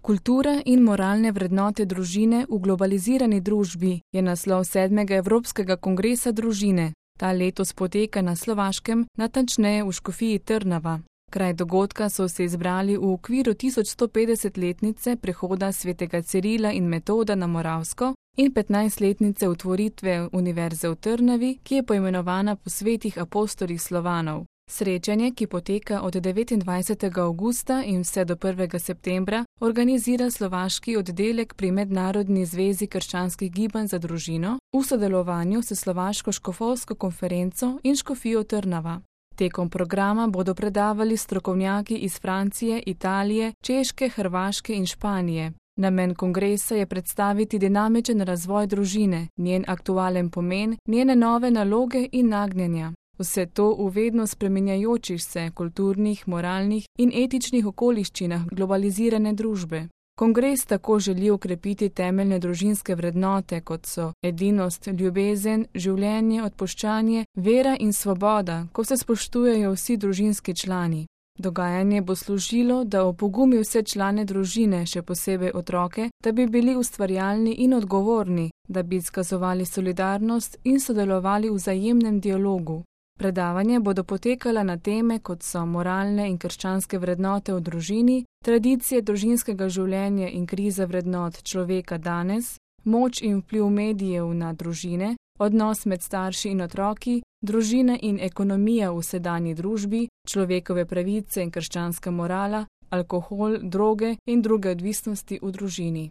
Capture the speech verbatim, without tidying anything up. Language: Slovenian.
Kultura in moralne vrednote družine v globalizirani družbi je naslov sedmega Evropskega kongresa družine. Ta letos poteka na Slovaškem, natančneje v Škofiji Trnava. Kraj dogodka so se izbrali v okviru tisoč sto petdesetletnice prehoda svetega Cirila in Metoda na Moravsko in petnajstletnice utvoritve Univerze v Trnavi, ki je poimenovana po svetih apostolih Slovanov. Srečanje, ki poteka od devetindvajsetega avgusta in vse do prvega septembra, organizira slovaški oddelek pri Mednarodni zvezi krščanskih gibanj za družino v sodelovanju s Slovaško škofovsko konferenco in Škofijo Trnava. Tekom programa bodo predavali strokovnjaki iz Francije, Italije, Češke, Hrvaške in Španije. Namen kongresa je predstaviti dinamičen razvoj družine, njen aktualen pomen, njene nove naloge in nagnjenja. Vse to v vedno spreminjajočih se kulturnih, moralnih in etičnih okoliščinah globalizirane družbe. Kongres tako želi okrepiti temeljne družinske vrednote, kot so edinost, ljubezen, življenje, odpuščanje, vera in svoboda, ko se spoštujejo vsi družinski člani. Dogajanje bo služilo, da opogumi vse člane družine, še posebej otroke, da bi bili ustvarjalni in odgovorni, da bi izkazovali solidarnost in sodelovali v vzajemnem dialogu. Predavanja bodo potekala na teme, kot so moralne in krščanske vrednote v družini, tradicije družinskega življenja in kriza vrednot človeka danes, moč in vpliv medijev na družine, odnos med starši in otroki, družina in ekonomija v sedanji družbi, človekove pravice in krščanska morala, alkohol, droge in druge odvisnosti v družini.